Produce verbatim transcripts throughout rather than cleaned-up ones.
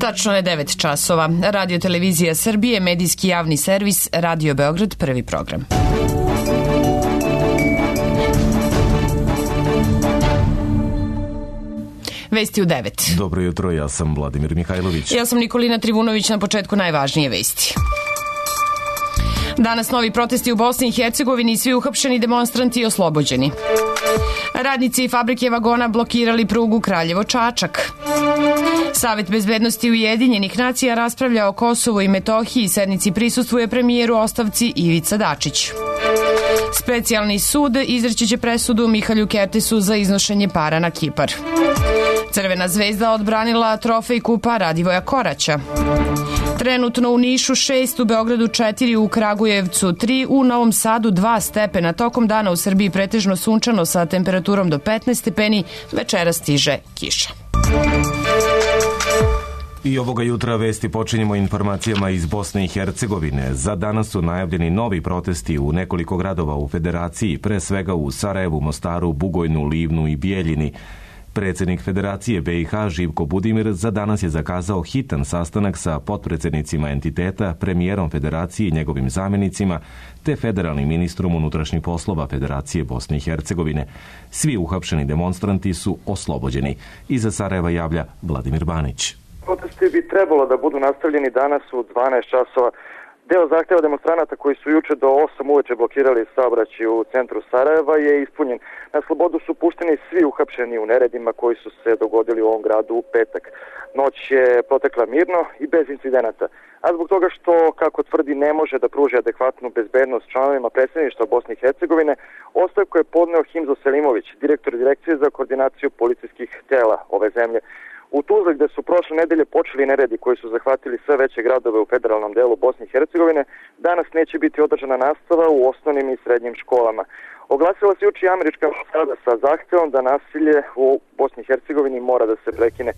Tačno je devet časova. Radio Televizija Srbije, medijski javni servis, Radio Beograd, prvi program. Vesti u devet. Dobro jutro, ja sam Vladimir Mihajlović. Ja sam Nikolina Trivunović, na početku najvažnije vesti. Danas novi protesti u Bosni i Hercegovini i svi uhapšeni demonstranti oslobođeni. Radnici fabrike vagona blokirali prugu Kraljevo-Čačak. Savet bezbednosti Ujedinjenih nacija raspravlja o Kosovu i Metohiji, sednici prisustvuje premijeru ostavci Ivica Dačić. Specijalni sud izreći će presudu Mihalju Kertesu za iznošenje para na Kipar. Crvena zvezda odbranila trofej kupa Radivoja Koraća. Trenutno u Nišu šest, u Beogradu četiri, u Kragujevcu tri, u Novom Sadu dva stepena. Tokom dana u Srbiji pretežno sunčano sa temperaturom do petnaest stepeni, večera stiže kiša. I ovoga jutra vesti počinjemo informacijama iz Bosne i Hercegovine. Za danas su najavljeni novi protesti u nekoliko gradova u Federaciji, pre svega u Sarajevu, Mostaru, Bugojnu, Livnu i Bijeljini. Predsjednik Federacije be i ha Živko Budimir za danas je zakazao hitan sastanak sa potpredsjednicima entiteta, premijerom Federacije i njegovim zamjenicima, te federalnim ministrom unutrašnjih poslova Federacije Bosne i Hercegovine. Svi uhapšeni demonstranti su oslobođeni. Iza Sarajeva javlja Vladimir Banić. Protesti bi trebalo da budu nastavljeni danas u dvanaest časova. Deo zahtjeva demonstranata koji su juče do osam uveče blokirali saobraćaj u centru Sarajeva je ispunjen. Na slobodu su pušteni svi uhapšeni u neredima koji su se dogodili u ovom gradu u petak. Noć je protekla mirno i bez incidenata. A zbog toga što, kako tvrdi, ne može da pruži adekvatnu bezbednost članovima predsjedništva Bosne i Hercegovine, ostavku je podneo Himzo Selimović, direktor Direkcije za koordinaciju policijskih tela ove zemlje. U Tuzli, gde su prošle nedelje počeli neredi koji su zahvatili sve veće gradove u federalnom delu Bosne i Hercegovine, danas neće biti održana nastava u osnovnim i srednjim školama. Oglasila se juče američka ambasada sa zahtjevom da nasilje u Bosni i Hercegovini mora da se prekine.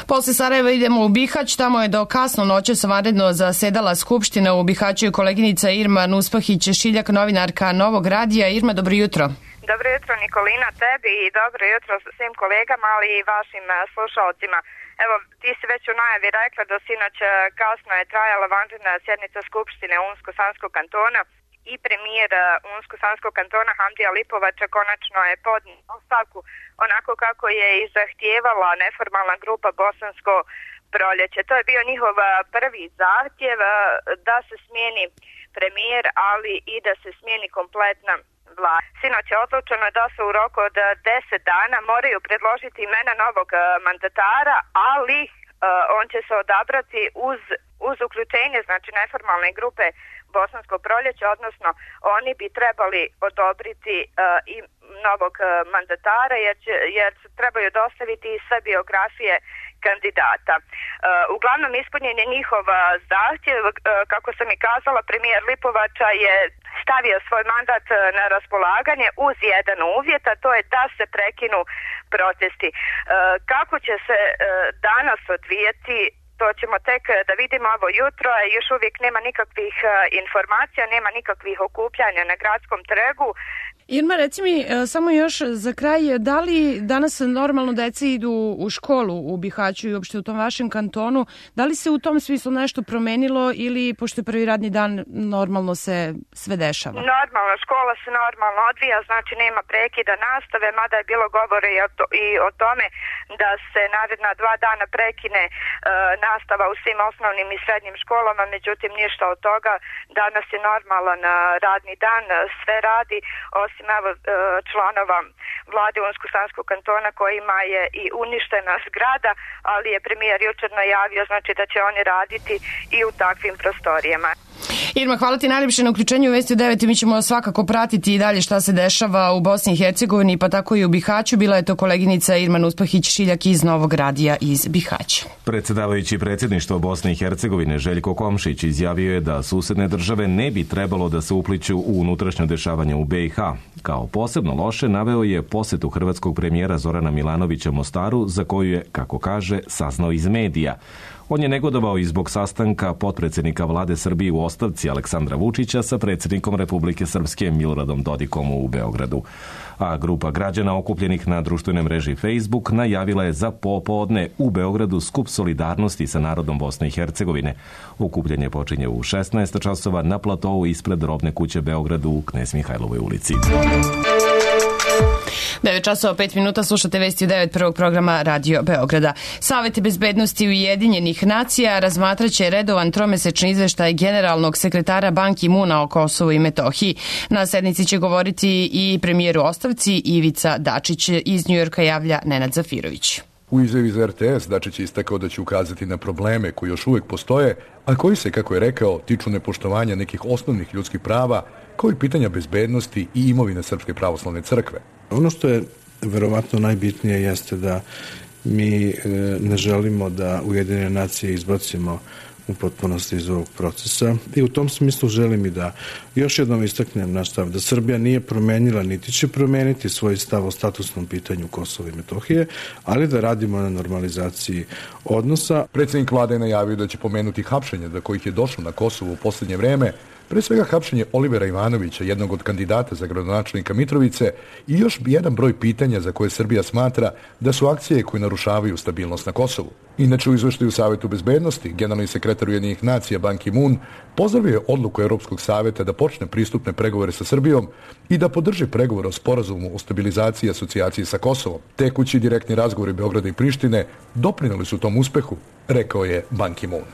Posle Sarajeva idemo u Bihać, tamo je do kasno noćas vanredno zasedala Skupština. U Bihaću je koleginica Irma Nuspahić-Šiljak, novinarka Novog radija. Irma, dobro jutro. Dobro jutro Nikolina, tebi i dobro jutro svim kolegama, ali i vašim slušalcima. Evo, ti si već u najavi rekla da sinoć kasno je trajala vanredna sjednica Skupštine Unsko-Sanskog kantona i premijer Unsko-Sanskog kantona Hamdija Lipovača konačno je podnio ostavku onako kako je i zahtijevala neformalna grupa Bosansko proljeće. To je bio njihov prvi zahtjev da se smijeni premijer, ali i da se smijeni kompletna vlada. Sinoć je odlučeno da se u roku od deset dana moraju predložiti imena novog mandatara, ali uh, on će se odabrati uz, uz uključenje, znači neformalne grupe Bosansko proljeće, odnosno oni bi trebali odobriti uh, i novog uh, mandatara jer, će, jer trebaju dostaviti i sve biografije kandidata. Uh, uglavnom ispunjen je njihov zahtjev, uh, kako sam i kazala, premijer Lipovača je stavio svoj mandat na raspolaganje uz jedan uvjet, a to je da se prekinu protesti. Uh, kako će se uh, danas odvijeti, to ćemo tek da vidimo ovo jutro, a još uvijek nema nikakvih uh, informacija, nema nikakvih okupljanja na gradskom trgu. Irma, reci mi samo još za kraj, da li danas normalno deca idu u školu u Bihaću i uopšte u tom vašem kantonu, da li se u tom smislu nešto promenilo ili, pošto je prvi radni dan, normalno se sve dešava? Normalno, škola se normalno odvija, znači nema prekida nastave, mada je bilo govore i o, to, i o tome da se naredna dva dana prekine e, nastava u svim osnovnim i srednjim školama, međutim ništa od toga, danas je normalan radni dan, sve radi, osim evo, članova vlade Unsko-Sanskog kantona kojima je i uništena zgrada, ali je premijer jučer najavio, znači da će oni raditi i u takvim prostorijama. Irma, hvala ti najljepše na uključenju u Vesti u devet i mi ćemo svakako pratiti i dalje šta se dešava u Bosni i Hercegovini, pa tako i u Bihaću. Bila je to koleginica Irma Nuspahić-Šiljak iz Novog radija iz Bihaća. Predsjedavajući predsjedništvo Bosne i Hercegovine Željko Komšić izjavio je da susedne države ne bi trebalo da se upliću u unutrašnje dešavanje u be i ha. Kao posebno loše naveo je posjetu hrvatskog premijera Zorana Milanovića Mostaru, za koju je, kako kaže, saznao iz medija. On je negodovao i zbog sastanka potpredsjednika vlade Srbije u ostavci Aleksandra Vučića sa predsjednikom Republike Srpske Miloradom Dodikom u Beogradu. A grupa građana okupljenih na društvenoj mreži Facebook najavila je za popodne u Beogradu skup solidarnosti sa narodom Bosne i Hercegovine. Okupljanje počinje u šesnaest časova na platovu ispred Robne kuće Beogradu u Knez Mihajlovoj ulici. devet časova pet minuta, slušate vesti u devet prvog programa Radio Beograda. Savet bezbednosti Ujedinjenih nacija razmatraće redovan tromesečni izveštaj generalnog sekretara Ban Ki-muna o Kosovu i Metohiji. Na sednici će govoriti i premijer u ostavci Ivica Dačić. Iz Njujorka javlja Nenad Zafirović. U izjavi za R T S Dačić je istakao da će ukazati na probleme koji još uvek postoje, a koji se, kako je rekao, tiču nepoštovanja nekih osnovnih ljudskih prava, kao i pitanja bezbednosti i imovine Srpske pravoslavne crkve. Ono što je verovatno najbitnije jeste da mi ne želimo da Ujedinjene nacije izbacimo u potpunosti iz ovog procesa i u tom smislu želim i da još jednom istaknem naš stav da Srbija nije promenila niti će promeniti svoj stav o statusnom pitanju Kosova i Metohije, ali da radimo na normalizaciji odnosa. Predsjednik vlade je najavio da će pomenuti hapšenje do kojih je došlo na Kosovu u posljednje vreme, pre svega hapšenje Olivera Ivanovića, jednog od kandidata za gradonačelnika Mitrovice, i još jedan broj pitanja za koje Srbija smatra da su akcije koje narušavaju stabilnost na Kosovu. Inače, u izveštaju Savetu bezbednosti, generalni sekretar Ujedinjenih nacija Ban Ki-mun pozdravio je odluku Europskog saveta da počne pristupne pregovore sa Srbijom i da podrži pregovore o sporazumu o stabilizaciji i asocijaciji sa Kosovom. Tekući direktni razgovori Beograda i Prištine doprineli su tom uspehu, rekao je Ban Ki-mun.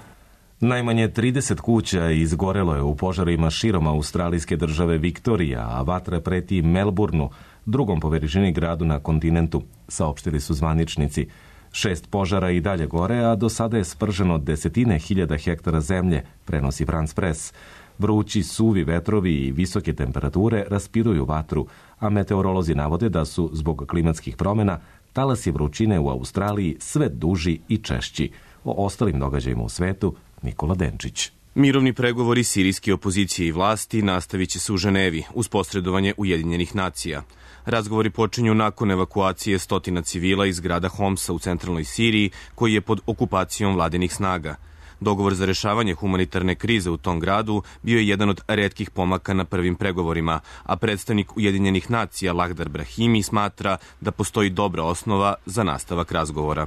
Najmanje trideset kuća izgorelo je u požarima širom australijske države Viktorija, a vatra preti Melbourneu, drugom po veličini gradu na kontinentu, saopštili su zvaničnici. Šest požara i dalje gore, a do sada je sprženo desetine hiljada hektara zemlje, prenosi France Press. Vrući, suvi vetrovi i visoke temperature raspiruju vatru, a meteorolozi navode da su, zbog klimatskih promjena, talasi vrućine u Australiji sve duži i češći. O ostalim događajima u svetu Nikola Denčić. Mirovni pregovori sirijske opozicije i vlasti nastavit će se u Ženevi uz posredovanje Ujedinjenih nacija. Razgovori počinju nakon evakuacije stotina civila iz grada Homsa u centralnoj Siriji, koji je pod okupacijom vladinih snaga. Dogovor za rešavanje humanitarne krize u tom gradu bio je jedan od retkih pomaka na prvim pregovorima, a predstavnik Ujedinjenih nacija Lakhdar Brahimi smatra da postoji dobra osnova za nastavak razgovora.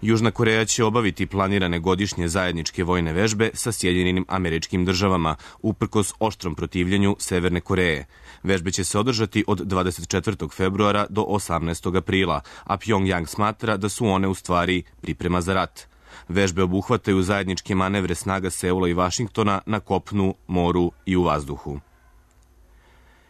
Južna Koreja će obaviti planirane godišnje zajedničke vojne vežbe sa Sjedinjenim Američkim Državama, uprkos oštrom protivljenju Severne Koreje. Vežbe će se održati od dvadeset četvrtog februara do osamnaestog aprila, a Pjongjang smatra da su one u stvari priprema za rat. Vežbe obuhvataju zajedničke manevre snaga Seula i Vašingtona na kopnu, moru i u vazduhu.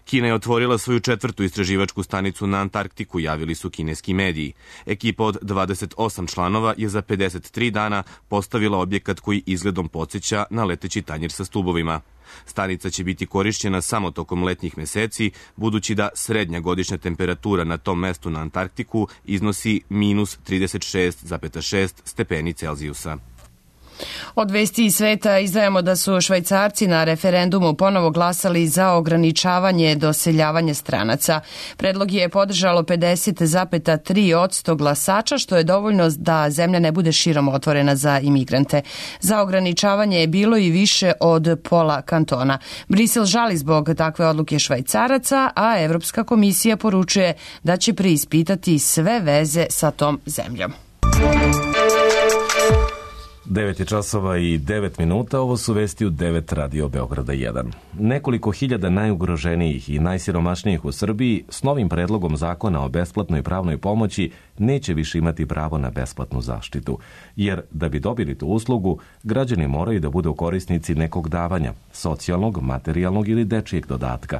Kina je otvorila svoju četvrtu istraživačku stanicu na Antarktiku, javili su kineski mediji. Ekipa od dvadeset osam članova je za pedeset tri dana postavila objekat koji izgledom podsjeća na leteći tanjir sa stubovima. Stanica će biti korišćena samo tokom letnjih meseci, budući da srednja godišnja temperatura na tom mestu na Antarktiku iznosi minus trideset šest zarez šest stepeni Celzijusa. Od vesti iz sveta izdvajamo da su Švajcarci na referendumu ponovo glasali za ograničavanje doseljavanja stranaca. Predlog je podržalo pedeset zarez tri posto glasača, što je dovoljno da zemlja ne bude širom otvorena za imigrante. Za ograničavanje je bilo i više od pola kantona. Brisel žali zbog takve odluke Švajcaraca, a Evropska komisija poručuje da će preispitati sve veze sa tom zemljom. devet je časova i devet minuta, ovo su vesti u devet Radio Beograda jedan. Nekoliko hiljada najugroženijih i najsiromašnijih u Srbiji s novim predlogom zakona o besplatnoj pravnoj pomoći neće više imati pravo na besplatnu zaštitu, jer da bi dobili tu uslugu, građani moraju da budu korisnici nekog davanja, socijalnog, materijalnog ili dečijeg dodatka.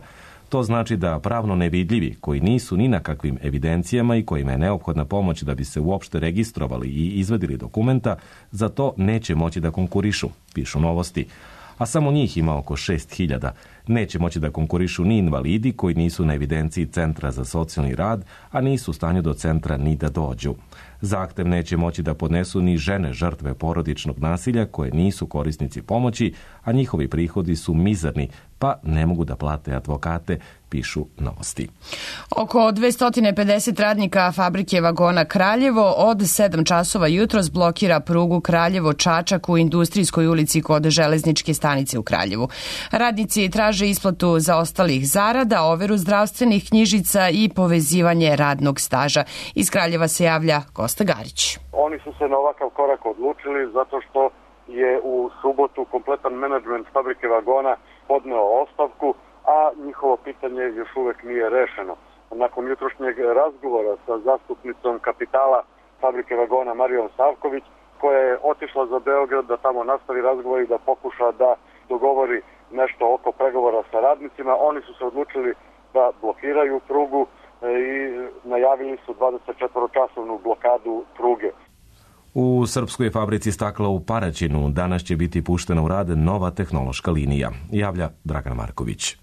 To znači da pravno nevidljivi, koji nisu ni na kakvim evidencijama i kojima je neophodna pomoć da bi se uopšte registrovali i izvadili dokumenta, za to neće moći da konkurišu, pišu Novosti. A samo njih ima oko šest hiljada. Neće moći da konkurišu ni invalidi koji nisu na evidenciji Centra za socijalni rad, a nisu u stanju do centra ni da dođu. Zahtev neće moći da podnesu ni žene žrtve porodičnog nasilja koje nisu korisnici pomoći, a njihovi prihodi su mizerni, pa ne mogu da plate advokate, pišu Novosti. Oko dvesta pedeset radnika fabrike vagona Kraljevo od sedam časova jutros blokira prugu Kraljevo-Čačak u Industrijskoj ulici kod železničke stanice u Kraljevu. Radnici traže isplatu zaostalih zarada, overu zdravstvenih knjižica i povezivanje radnog staža. Iz Kraljeva se javlja Kosta Garić. Oni su se na ovakav korak odlučili zato što je u subotu kompletan menadžment fabrike vagona podneo ostavku, a njihovo pitanje još uvek nije rešeno. Nakon jutrošnjeg razgovora sa zastupnicom kapitala fabrike vagona Marijom Savković, koja je otišla za Beograd da tamo nastavi razgovor i da pokuša da dogovori nešto oko pregovora sa radnicima, oni su se odlučili da blokiraju prugu i najavili su dvadesetčetvoročasovnu blokadu pruge. U srpskoj fabrici stakla u Paraćinu danas će biti puštena u rad nova tehnološka linija, javlja Dragan Marković.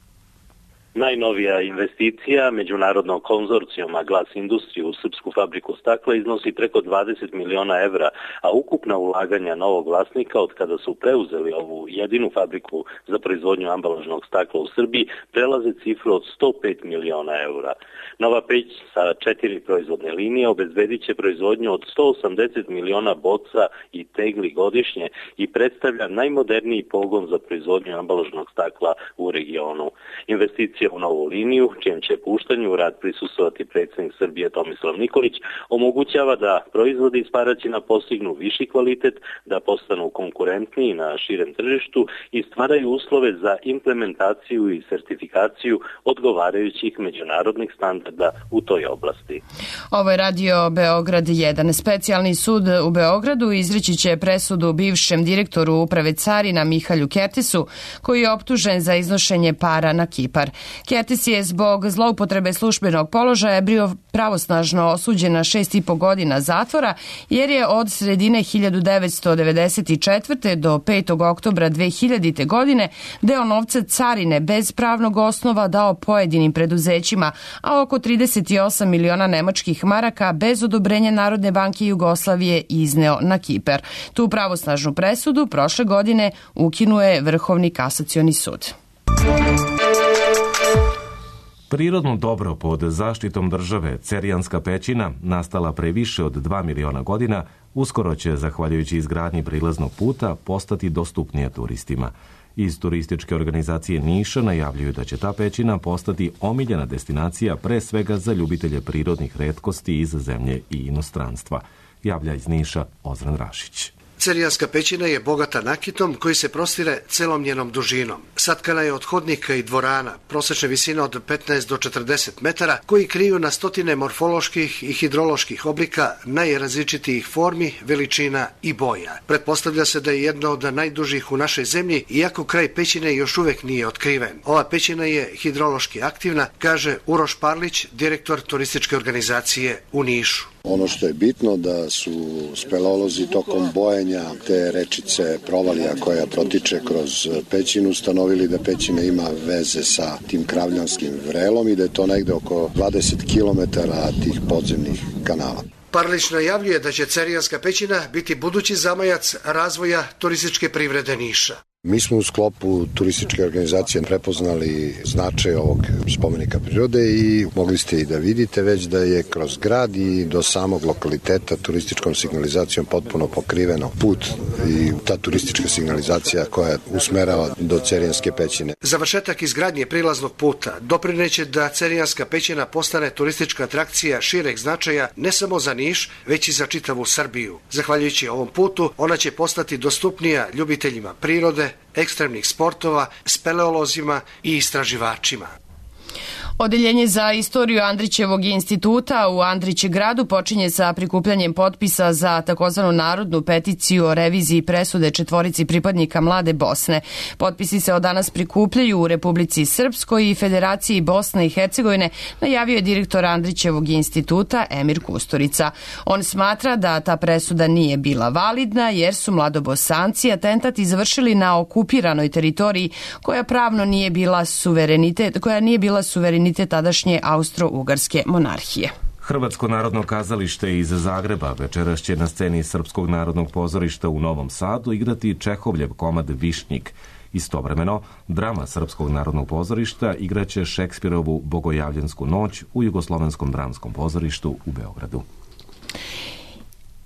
Najnovija investicija međunarodnog konzorcijuma Glas Industriju u srpsku fabriku stakla iznosi preko dvadeset miliona evra, a ukupna ulaganja novog vlasnika od kada su preuzeli ovu jedinu fabriku za proizvodnju ambalažnog stakla u Srbiji prelaze cifru od sto pet miliona evra. Nova peć sa četiri proizvodne linije obezbedit će proizvodnju od sto osamdeset miliona boca i tegli godišnje i predstavlja najmoderniji pogon za proizvodnju ambalažnog stakla u regionu. Investicija u novu liniju, čijem će puštanju u rad prisustvovati predsjednik Srbije Tomislav Nikolić, omogućava da proizvodi iz Paraćina postignu viši kvalitet, da postanu konkurentniji na širem tržištu i stvaraju uslove za implementaciju i sertifikaciju odgovarajućih međunarodnih standarda u toj oblasti. Ovo je radio Beograd jedan. Specijalni sud u Beogradu izreći će presudu bivšem direktoru uprave carina Mihalju Kertisu, koji je optužen za iznošenje para na Kipar. Kertis je zbog zloupotrebe službenog položaja bio pravosnažno osuđen na šest i po godina zatvora, jer je od sredine hiljadu devetsto devedeset četvrte do petog oktobra dve hiljadite. godine deo novca carine bez pravnog osnova dao pojedinim preduzećima, a oko trideset osam miliona nemačkih maraka bez odobrenja Narodne banke Jugoslavije izneo na Kipar. Tu pravosnažnu presudu prošle godine ukinuje Vrhovni kasacioni sud. Prirodno dobro pod zaštitom države, Cerjanska pećina, nastala pre više od dva miliona godina, uskoro će, zahvaljujući izgradnji prilaznog puta, postati dostupnija turistima. Iz turističke organizacije Niša najavljuju da će ta pećina postati omiljena destinacija pre svega za ljubitelje prirodnih retkosti iz zemlje i inostranstva, javlja iz Niša Ozran Rašić. Cerjanska pećina je bogata nakitom koji se prostire celom njenom dužinom. Satkana je od hodnika i dvorana, prosečne visine od petnaest do četrdeset metara, koji kriju na stotine morfoloških i hidroloških oblika najrazličitijih formi, veličina i boja. Pretpostavlja se da je jedna od najdužih u našoj zemlji, iako kraj pećine još uvek nije otkriven. Ova pećina je hidrološki aktivna, kaže Uroš Parlić, direktor turističke organizacije u Nišu. Ono što je bitno da su speleolozi tokom bojenja te rečice Provalija koja protiče kroz pećinu ustanovili da pećina ima veze sa tim Kravljanskim vrelom i da je to negde oko dvadeset kilometara tih podzemnih kanala. Parlić najavljuje da će Cerjanska pećina biti budući zamajac razvoja turističke privrede Niša. Mi smo u sklopu turističke organizacije prepoznali značaj ovog spomenika prirode i mogli ste i da vidite već da je kroz grad i do samog lokaliteta turističkom signalizacijom potpuno pokriveno put i ta turistička signalizacija koja usmerava do Cerjanske pećine. Završetak izgradnje prilaznog puta doprineće da Cerjanska pećina postane turistička atrakcija šireg značaja ne samo za Niš, već i za čitavu Srbiju. Zahvaljujući ovom putu, ona će postati dostupnija ljubiteljima prirode, ekstremnih sportova, speleolozima i istraživačima. Odeljenje za istoriju Andrićevog instituta u Andrićegradu počinje sa prikupljanjem potpisa za takozvanu narodnu peticiju o reviziji presude četvorici pripadnika Mlade Bosne. Potpisi se od danas prikupljaju u Republici Srpskoj i Federaciji Bosne i Hercegovine, najavio je direktor Andrićevog instituta Emir Kusturica. On smatra da ta presuda nije bila validna jer su mladobosanci atentat izvršili na okupiranoj teritoriji koja pravno nije bila suverenitet, koja nije bila suverenitet tadašnje Austro-Ugarske monarhije. Hrvatsko narodno kazalište iz Zagreba večeras će na sceni Srpskog narodnog pozorišta u Novom Sadu igrati Čehovljev komad Višnjik. Istovremeno, drama Srpskog narodnog pozorišta igraće Šekspirovu Bogojavljensku noć u Jugoslovenskom dramskom pozorištu u Beogradu.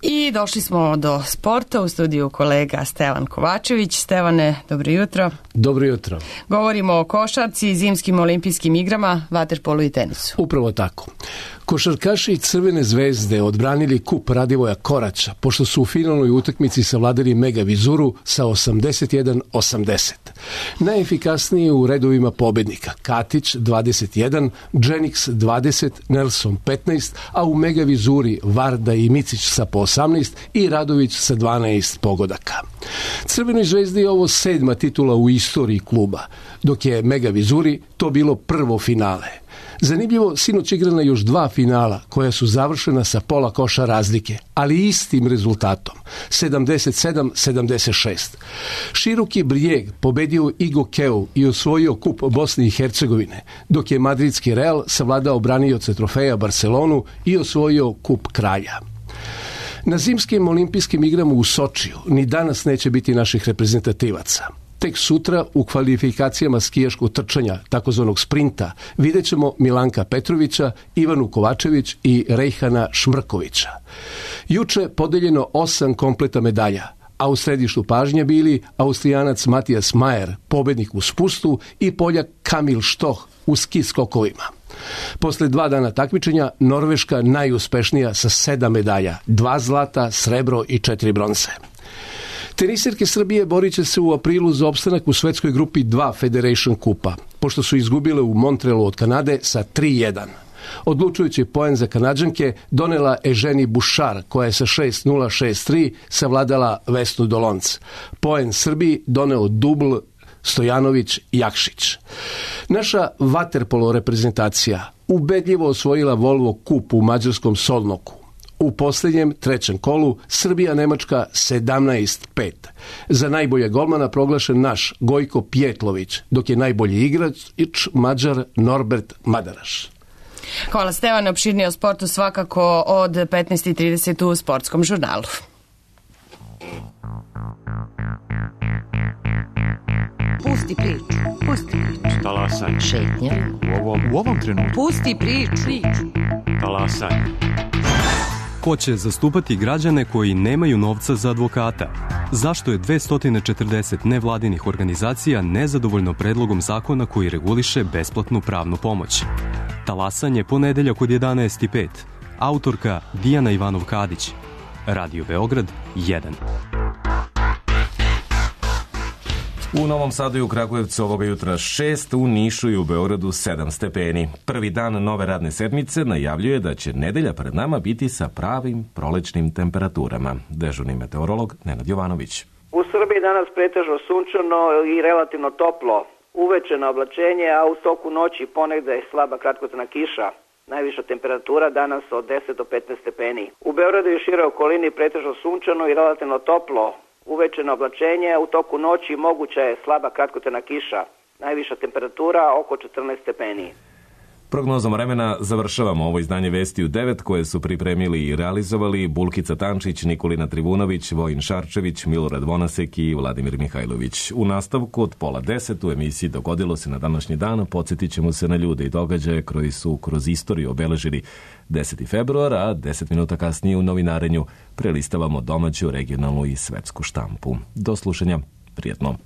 I došli smo do sporta, u studiju kolega Stevan Kovačević. Stevane, dobro jutro. Dobro jutro. Govorimo o košarci, zimskim olimpijskim igrama, vaterpolu i tenisu. Upravo tako. Košarkaši Crvene zvezde odbranili kup Radivoja Koraća, pošto su u finalnoj utakmici savladali Mega Vizuru sa osamdeset jedan osamdeset. Najefikasniji u redovima pobednika: Katić dvadeset jedan, Dženix dvadeset, Nelson petnaest, a u Mega Vizuri Varda i Micić sa po osamnaest i Radović sa dvanaest pogodaka. Crvenoj zvezdi je ovo sedma titula u istoriji kluba, dok je Mega Vizuri to bilo prvo finale. Zanimljivo, sinoć igrana još dva finala koja su završena sa pola koša razlike, ali istim rezultatom, sedamdeset sedam sedamdeset šest. Široki Brijeg pobedio Igokeu i osvojio kup Bosne i Hercegovine, dok je madridski Real savladao branioce trofeja Barcelonu i osvojio kup Kralja. Na zimskim olimpijskim igrama u Sočiju ni danas neće biti naših reprezentativaca. Tek sutra u kvalifikacijama skijaškog trčanja, takozvanog sprinta, vidjet ćemo Milanka Petrovića, Ivanu Kovačević i Rejhana Šmrkovića. Juče podeljeno osam kompleta medalja, a u središtu pažnje bili Austrijanac Matijas Majer, pobednik u spustu, i Poljak Kamil Štoh u ski skokovima. Posle dva dana takmičenja, Norveška najuspešnija sa sedam medalja, dva zlata, srebro i četiri bronze. Tenisirke Srbije borit će se u aprilu za opstanak u svetskoj grupi dva Federation kupa, pošto su izgubile u Montrealu od Kanade sa tri jedan. Odlučujući poen za Kanađanke donela Eženi Bušar, koja je sa šest nula šest tri savladala Vesnu Dolonc. Poen Srbiji doneo dubl Stojanović-Jakšić. Naša vaterpolo reprezentacija ubedljivo osvojila Volvo kup u mađarskom Solnoku. U posljednjem, trećem kolu, Srbija-Nemačka sedamnaest pet. Za najbolje golmana proglašen naš Gojko Pjetlović, dok je najbolji igrač Mađar Norbert Madaraš. Hvala Stevane, opširnije o sportu svakako od petnaest i trideset u Sportskom žurnalu. Pusti priču, pusti priču. Talasaj. Šetnja. U ovom, u ovom trenutku. Pusti priču. Talasaj. Ko će zastupati građane koji nemaju novca za advokata? Zašto je dvesta četrdeset nevladinih organizacija nezadovoljno predlogom zakona koji reguliše besplatnu pravnu pomoć? Talasanje ponedeljak od jedanaest i pet. Autorka Dijana Ivanov-Kadić. Radio Beograd jedan. U Novom Sadu i u Kragujevcu ovoga jutra šest, u Nišu i u Beogradu sedam stepeni. Prvi dan nove radne sedmice najavljuje da će nedelja pred nama biti sa pravim prolećnim temperaturama. Dežurni meteorolog Nenad Jovanović. U Srbiji danas pretežno sunčano i relativno toplo. Uveče na oblačenje, a u toku noći ponegde slaba kratkotrajna kiša. Najviša temperatura danas od deset do petnaest stepeni. U Beogradu i šire okolini pretežno sunčano i relativno toplo. Uveče na oblačenje, u toku noći moguća je slaba kratkotrajna kiša. Najviša temperatura oko četrnaest stepeni. Prognozom vremena završavamo ovo izdanje Vesti u devet koje su pripremili i realizovali Bulkica Tančić, Nikolina Trivunović, Vojin Šarčević, Milorad Vonasek i Vladimir Mihajlović. U nastavku od pola deset u emisiji Dogodilo se na današnji dan podsjetit ćemo se na ljude i događaje koji su kroz istoriju obeležili deseti februar, a deset minuta kasnije u novinarenju prelistavamo domaću, regionalnu i svetsku štampu. Do slušanja, prijetno.